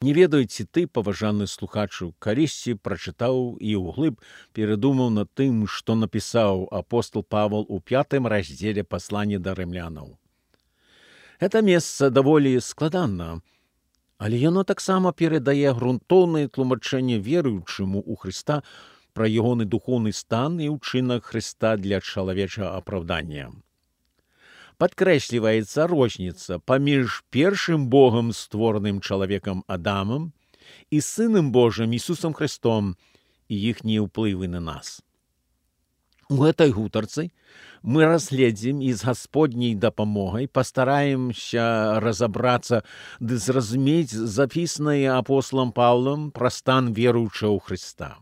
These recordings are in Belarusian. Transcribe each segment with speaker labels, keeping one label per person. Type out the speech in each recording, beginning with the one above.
Speaker 1: Не ведаю, ці ты, паважаны слухачу, калісьці прачытаў і ўглыб перадумаў над тым, што напісаў апостол Павел у 5 раздзеле паслання да рымлянаў. Гэта месца даволі складана, але яно таксама перадае грунтоўнае тлумачэнне веруючаму ў Хрыста пра ягоны духоўны стан і ўчынак Хрыста для чалавечага апраўдання. Падкрэсліваецца розніца паміж першым Богам створаным чалавекам Адамам і Сынам Божым Ісусам Христом і іхнія ўплывы на нас. У гэтай гутарцы мы разгледзім і з Гасподняй дапамогай пастараемся разабрацца ды зразумець запісанае апосталам Паўлам пра стан веруючага ў Хрыста.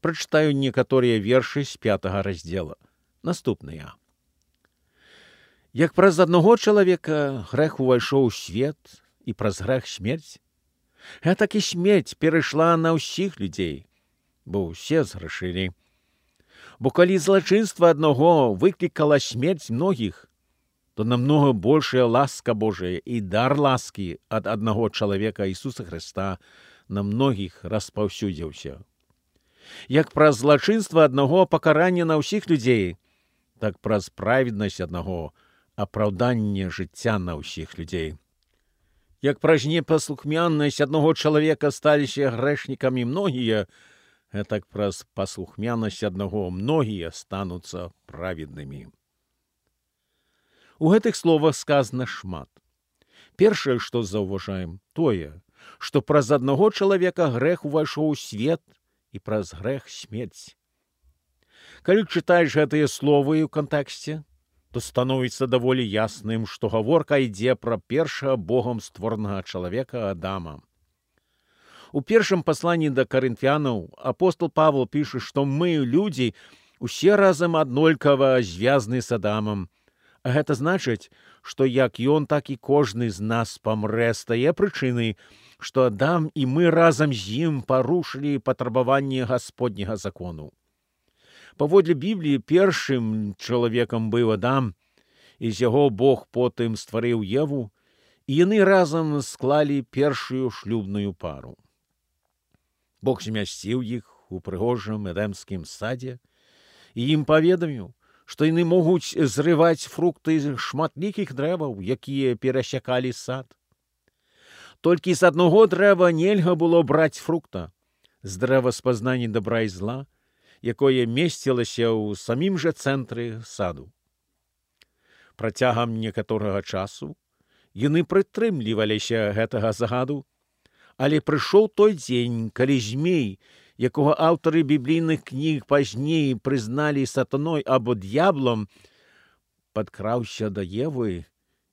Speaker 1: Прачытаю некаторыя вершы з 5 раздзела. Наступныя. Як праз аднаго чалавека грэх увайшоў у свет і праз грэх смерць, гэтак і смерць перайшла на ўсіх людзей, бо ўсе згрэшылі. Бо калі злачынства аднаго выклікала смерць многіх, то намнога большая ласка Божая і дар ласкі ад аднаго чалавека Ісуса Хрыста на многіх распаўсюдзіўся. Як праз злачынства аднаго пакаранне на ўсіх людзей, так праз праведнасць аднаго апраўданне жыцця на ўсіх людзей. Як праз непаслухмянасць аднаго чалавека сталіся грэшнікамі многія, гэтак праз паслухмянасць аднаго многія стануцца праведнымі. У гэтых словах сказана шмат. Першае, што заўважаем, тое, што праз аднаго чалавека грэх увайшоў у свет і праз грэх смерць. Калі чытаеш гэтыя словы ў кантэксце, то становіцца даволі ясным, што гаворка ідзе пра першага Богам створанага чалавека Адама. У першым пасланні да карынфянаў апостол Павел піша, што мы, людзі, усе разам аднолькава звязаны з Адамам. А гэта значыць, што як ён, так і кожны з нас памрэ з тае прычыны, што Адам і мы разам з ім парушылі патрабаванні Гасподняга закону. Паводле Бібліі першым чалавекам быў Адам, і з яго Бог потым стварыў Еву, і яны разам склалі першую шлюбную пару. Бог змясціў іх у прыгожым эдэмскім садзе, і ім паведаміў, што яны могуць зрываць фрукты з шматлікіх дрэваў, якія перасякалі сад. Толькі з аднаго дрэва нельга было браць фрукта, з дрэва спазнання дабра і зла, якое месцілася ў самім жа цэнтры саду. Працягам некаторага часу яны прытрымліваліся гэтага загаду, але прыйшоў той дзень, калі змей, якога аўтары біблійных кніг пазней прызналі сатаной або д'яблам, падкраўся да Евы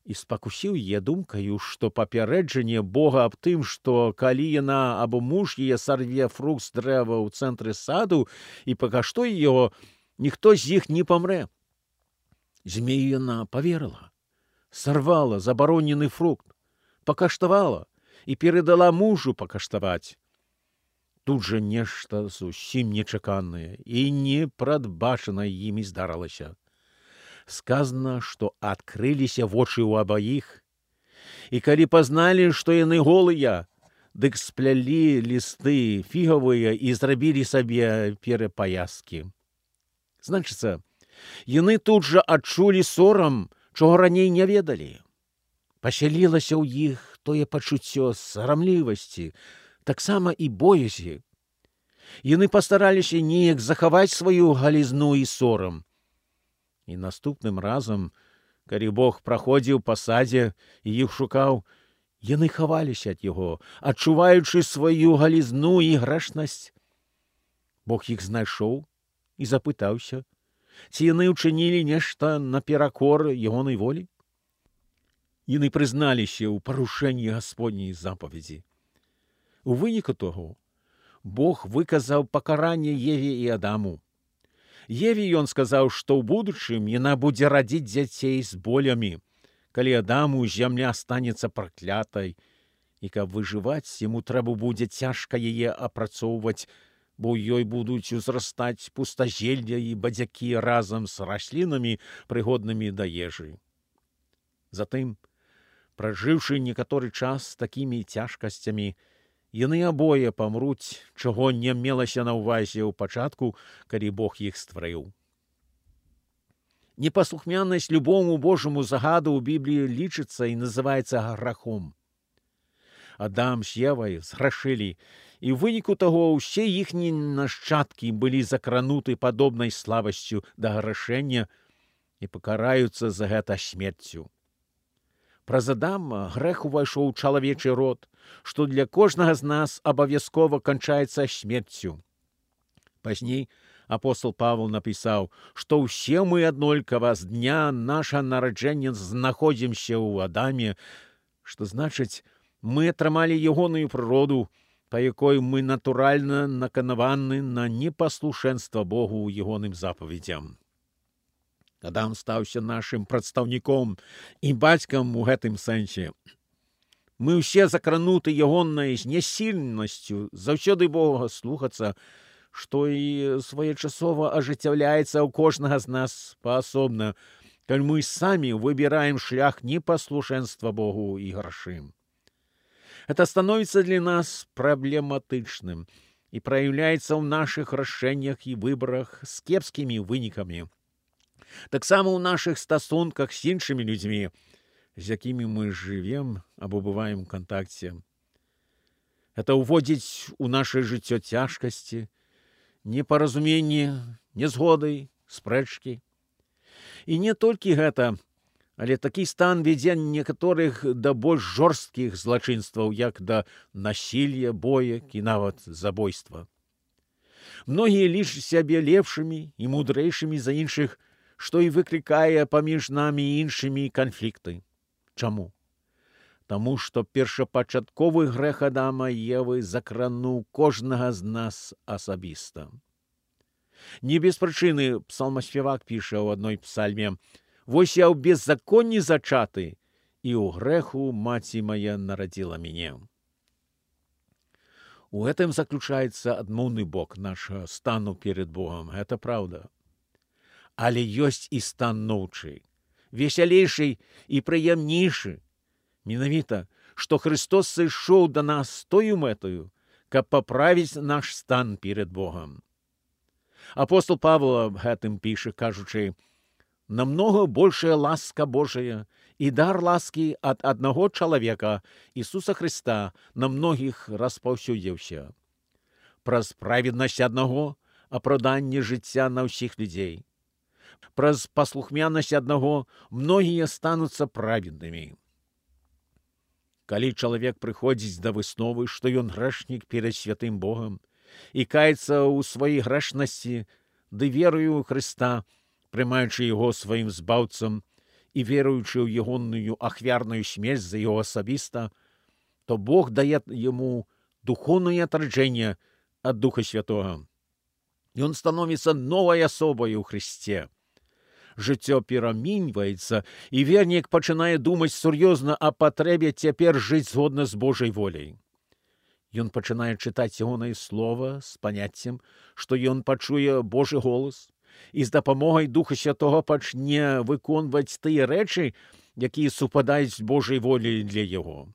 Speaker 1: і спакусіў яе думкаю, што папярэджанне Бога аб тым, што калі яна або муж яе сарве фрукт з дрэва ў цэнтры саду і пакаштуе яго, ніхто з іх не памрэ. Змею яна паверыла, сарвала забаронены фрукт, пакаштавала і перадала мужу пакаштаваць. Тут жа нешта зусім нечаканае і непрадбачанае імі здарылася. Сказана, што адкрыліся вочы ў абаіх, і калі пазналі, што яны голыя, дык сплялі лісты фігавыя і зрабілі сабе перапаяскі. Значыцца, яны тут жа адчулі сорам, чого раней не ведалі. Пасялілася ў іх тое пачуццё сарамлівасці, таксама і боязі. Яны пастараліся неяк захаваць сваю галізну і сорам. І наступным разам, калі Бог праходзіў па садзе і іх шукаў, яны хаваліся ад яго, адчуваючы сваю галізну і грэшнасць. Бог іх знайшоў і запытаўся, ці яны ўчынілі нешта наперакор ягонай волі. Яны прызналіся ў парушэнні Гасподняй запаведзі. У выніку таго, Бог выказаў пакаранне Еве і Адаму. Еве ён сказаў, што ў будучым яна будзе радзіць дзяцей з болямі, калі Адаму зямля станецца праклятай, і каб выжываць, яму трэба будзе цяжка яе апрацоўваць, бо ў ёй будуць узрастаць пустазелля і бадзякі разам з раслінамі, прыгоднымі да ежы. Затым Пражыўшы некаторы час такімі цяжкасцямі, яны абое памруць, чаго не мелася на ўвазе ў пачатку, калі Бог іх стварыў. Непаслухмянасць любому Божаму загаду ў Бібліі лічыцца і называецца грахом. Адам з Евай зграшылі, і ў выніку таго ўсе іхнія нашчадкі былі закрануты падобнай слабасцю да грашэння і пакараюцца за гэта смерцю. Праз Адама грэх увайшоў у чалавечы род, што для кожнага з нас абавязкова канчаецца смерцю. Пазней апостол Павел напісаў, што ўсе мы аднолькава з дня наша нараджэння знаходзімся ў Адаме, што значыць, мы атрымалі ягоную прыроду, па якой мы натуральна наканаваны на непаслушэнства Богу ў ягоным запаведзям. Адам стаўся нашым прадстаўніком і бацькам у гэтым сэнсе. Мы ўсе закрануты ягонай знясільнасцю заўсёды Бога слухацца, што і своечасова ажыццяўляецца ў кожнага з нас паасобна, калі мы самі выбіраем шлях непаслушэнства Богу і грашым. Это становіцца для нас праблематычным і праяўляецца ў нашых рашэннях і выбарах з кепскімі вынікамі. Таксама ў нашых стасунках з іншымі людзьмі, з якімі мы жывем або бываем у кантакце. Это ўводзіць у нашае жыццё цяжкасці, непаразуменні, нязгоды, спрэчкі. І не толькі гэта, але такі стан вядзе некаторых да больш жорсткіх злачынстваў, як да насілля, боек і нават забойства. Многія лічаць сябе лепшымі і мудрэйшымі за іншых, што і выклікае паміж намі і іншымі канфлікты. Чаму? Таму што першапачатковы грэх Адама і Евы закрануў кожнага з нас асабіста. Не без прычыны псалмаспевак піша ў адной псальме: «Вось я ў беззаконні зачаты, і ў грэху маці мая нарадзіла мяне». У гэтым заключаецца адмоўны бок нашага стану перед Богом, гэта праўда. Але ёсць і стан новчы, весялейшы і прыемнейшы. Менавіта, што Христос сышоў да нас з тою мэтаю, каб паправіць наш стан перед Богом. Апостол Павел аб гэтым піша, кажучы: «Намнога большая ласка Божая і дар ласкі ад аднаго чалавека, Ісуса Христа, на многіх распаўсюдзіўся. Праз праведнасць аднаго апраўданне жыцця на ўсіх людзей. Праз паслухмянасць аднаго многія стануцца праведнымі». Калі чалавек прыходзіць да высновы, што ён грэшнік перад святым Богам і каецца ў сваёй грэшнасці, ды верую ў Хрыста, прымаючы яго сваім збаўцам і веруючы ў ягоную ахвярную смерць за яго асабіста, то Бог дае яму духоўнае атраджэнне ад Духа Святога. Ён становіцца новай асобай у Христе. Жыццё пераміньваецца, і вернік пачынае думаць сур'ёзна о патрэбе цяпер жыць згодна з Божай воляй. Ён пачынае чытаць ягонае слова з паняццем, што ён пачуе Божы голас, і з дапамогай Духа Святога пачне выконваць тыя рэчы, якія супадаюць з Божай воляй для яго.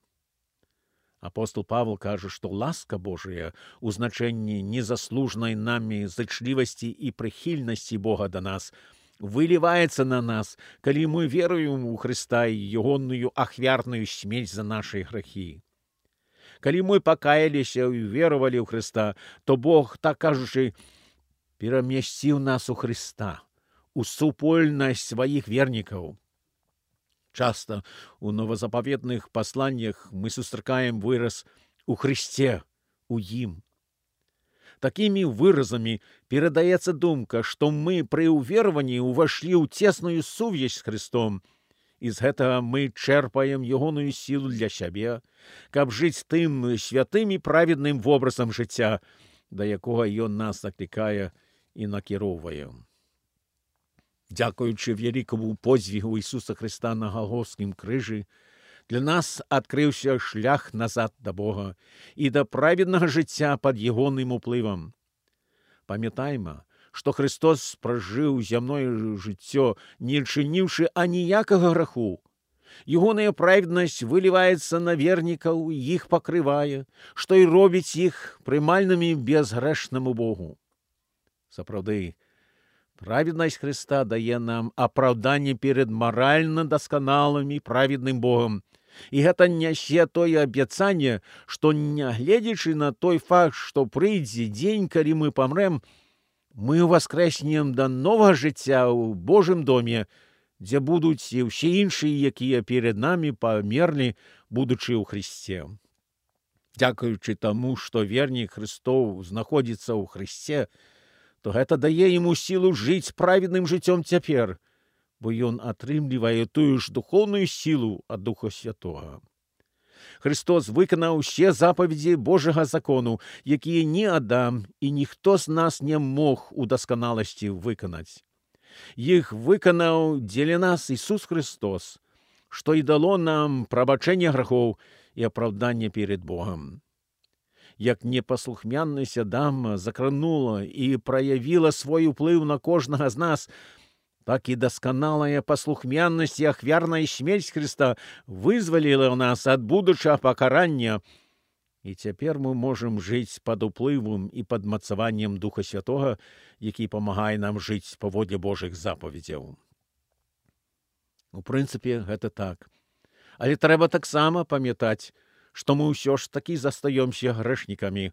Speaker 1: Апостол Павел кажа, што ласка Божая ў значэнні незаслужнай намі зычлівасці і прыхільнасці Бога да нас выліваецца на нас, калі мы веруем у Хрыста і ягоную ахвярную смерць за нашы грахі. Калі мы пакаяліся і верувалі ў Хрыста, то Бог, так кажучы, перамясціў нас у Хрыста, у супольнасць сваіх вернікаў. Часта у новазапаветных пасланнях мы сустракаем выраз «у Хрысце», «у ім». Такімі выразамі перадаецца думка, што мы пры ўверванні ўвайшлі ў цесную сувязь з Хрыстом, і з гэтага мы чэрпаем ягоную сілу для сябе, каб жыць тым святым і праведным вобразам жыцця, да якога ён нас заклікае і накіроўвае. Дзякуючы вялікаму подзвігу Ісуса Христа на Галгофскім крыжы, для нас адкрыўся шлях назад да Бога і да праведнага жыцця пад ягоным уплывам. Памятайма, што Христос пражыў зямное жыццё, не чыніўшы аніякага граху, Ягоная праведнасць выліваецца на вернікаў, іх пакрывае, што і робіць іх прымальнымі безгрэшнаму Богу. Сапраўды, праведнасць Христа дае нам апраўданне перад маральна дасканалым і праведным Богам. І гэта нясе тое абяцанне, што, нягледзячы на той факт, што прыйдзе дзень, калі мы памрэм, мы ўваскрэснем да новага жыцця ў Божым доме, дзе будуць і ўсе іншыя, якія перад намі памерлі, будучы ў Христе. Дзякуючы таму, што вернік Христоў знаходзіцца ў Христе, то гэта дае яму сілу жыць праведным жыццём цяпер, бо ён атрымлівае тую ж духоўную сілу ад Духа Святога. Христос выканаў усе запаведзі Божага закону, якія ні Адам і ніхто з нас не мог у дасканаласці выканаць. Іх выканаў дзеля нас Ісус Христос, што і дало нам прабачэнне грахоў і апраўданне перед Богам. Як непаслухмяннасць Адама закранула і праявіла свой уплыў на кожнага з нас, так і дасканалая паслухмяннасць і ахвярная смерць Христа вызваліла нас ад будучага пакарання, і цяпер мы можам жыць пад уплывам і пад мацаваннем Духа Святога, які памагае нам жыць паводле Божых запаведзяў. У прынцыпе, гэта так. Але трэба таксама памятаць, што мы ўсё ж такі застаёмся грэшнікамі,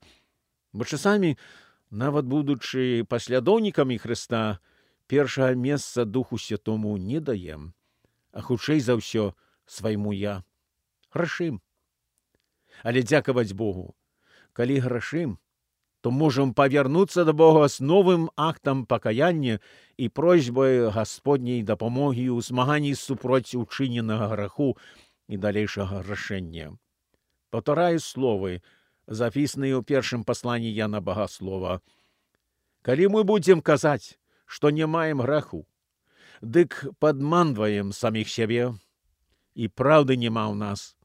Speaker 1: бо часамі, нават будучы паслядоўнікамі Христа, першага месца Духу Святому не даем, а хутчэй за ўсё свайму я. Грашым. Але дзякаваць Богу, калі грашым, то можам павярнуцца да Бога з новым актам пакаяння і просьбай Гасподняй дапамогі ў змаганні супроць учыненага граху і далейшага грашэння. Паўтараю словы, запісаныя ў першым пасланні Яна Багаслова. Калі мы будзем казаць, што не маем граху, дык падманваем саміх сябе, і праўды няма ў нас.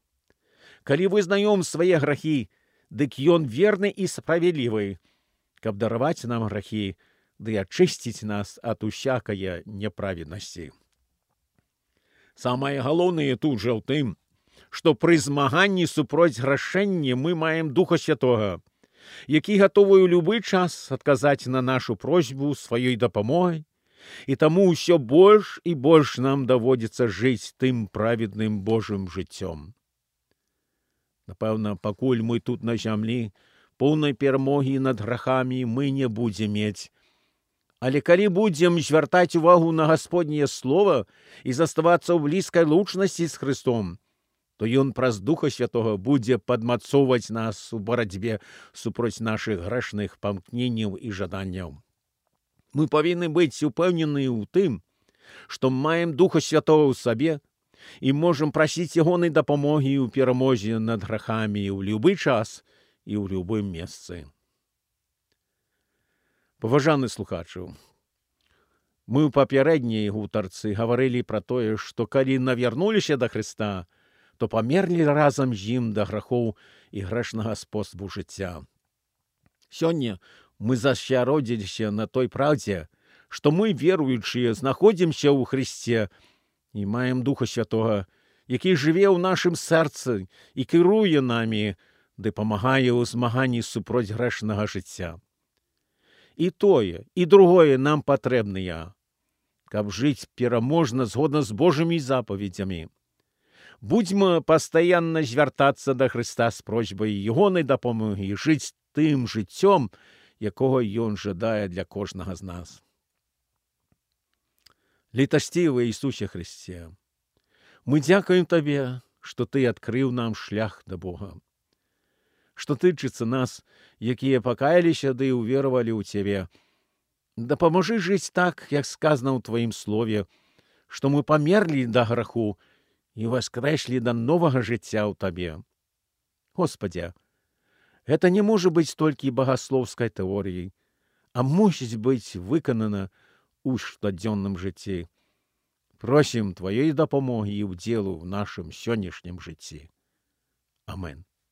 Speaker 1: Калі вызнаём свае грахі, дык ён верны і справядлівы, каб дараваць нам грахі, ды ачысціць нас ад усякае няправеднасці. Самае галоўнае тут жа ў тым, што пры змаганні супроць грашэння мы маем Духа Святога, які гатовы ў любы час адказаць на нашу просьбу сваёй дапамогай, і таму ўсё больш і больш нам даводзіцца жыць тым праведным Божым жыццём. Напэўна, пакуль мы тут на зямлі, поўнай перамогі над грахамі мы не будзем мець. Але калі будзем звяртаць увагу на Гасподняе Слова і заставацца ў блізкай лучнасці з Христом, то ён праз Духа Святога будзе падмацоўваць нас у барацьбе супроць нашых грэшных памкненняў і жаданняў. Мы павінны быць упэўненыя ў тым, што маем Духа Святога ў сабе і можам прасіць ягонай дапамогі ў перамозе над грахамі ў любы час і ў любым месцы. Паважаны слухачу, мы ў папярэдняй гутарцы гаварылі пра тое, што калі навярнуліся да Христа, то памерлі разам з ім да грахоў і грэшнага спосабу жыцця. Сёння мы засяродзіліся на той праўдзе, што мы, веруючыя, знаходзімся ў Христе і маем Духа Святога, які жыве ў нашым сэрцы і кіруе намі, ды памагае ў змаганні супроць грэшнага жыцця. І тое, і другое нам патрэбныя, каб жыць пераможна згодна з Божымі запаведзямі. Будзьма пастаянна звяртацца да Христа з просьбай ягонай дапамогі і жыць тым жыццём, якога ён жадае для кожнага з нас. Літасцівы Ісусе Христе, мы дзякуем Табе, што Ты адкрыў нам шлях да Бога. Што тычыцца нас, якія пакаяліся ды ўверавалі ў Цябе. Дапамажы жыць так, як сказана ў Тваім слове, што мы памерлі да граху і воскрэслі да новага жыцця ў Табе. Господзя, гэта не можа быць толькі багаслоўскай тэорыяй, а мусіць быць выканана ў штодзённым жыцці. Просім Тваёй дапамогі і ўдзелу ў нашым сённяшнім жыцці. Амен.